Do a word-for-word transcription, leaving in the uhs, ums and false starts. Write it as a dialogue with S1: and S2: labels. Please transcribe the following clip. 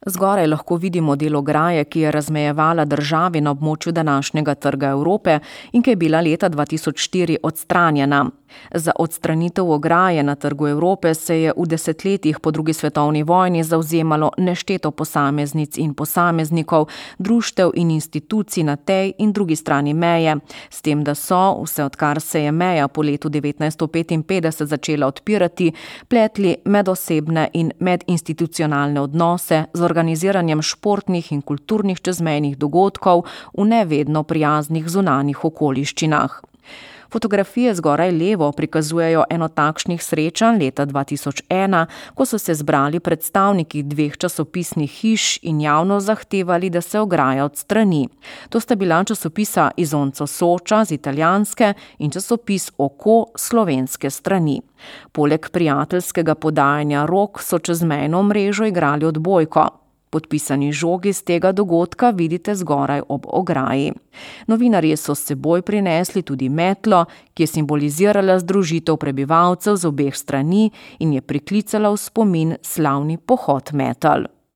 S1: Zgoraj lahko vidimo del ograje, ki je razmejevala državi na območju današnjega Trga Evrope in ki je bila leta dva tisoč štiri odstranjena. Za odstranitev ograje na Trgu Evrope se je v desetletjih po drugi svetovni vojni zavzemalo nešteto posameznic in posameznikov, društev in institucij na tej in drugi strani meje, s tem, da so, vse odkar se je meja po letu devetnajststo petinpetdeset začela odpirati, pletli medosebne in medinstitucionalne odnose z organiziranjem športnih in kulturnih čezmejnih dogodkov v nevedno prijaznih zunanjih okoliščinah. Fotografije zgoraj levo prikazujejo eno takšnih srečanj leta dva tisoč ena, ko so se zbrali predstavniki dveh časopisnih hiš in javno zahtevali, da se ograja odstrani. To sta bila časopisa Isonzo Soča z italijanske in časopis Oko slovenske strani. Poleg prijateljskega podajanja rok so čezmejno mrežo igrali odbojko. Podpisani žogi z tega dogodka vidite zgoraj ob ograji. Novinarji so s seboj prinesli tudi metlo, ki je simbolizirala združitev prebivalcev z obeh strani in je priklicala v spomin slavni pohod metel.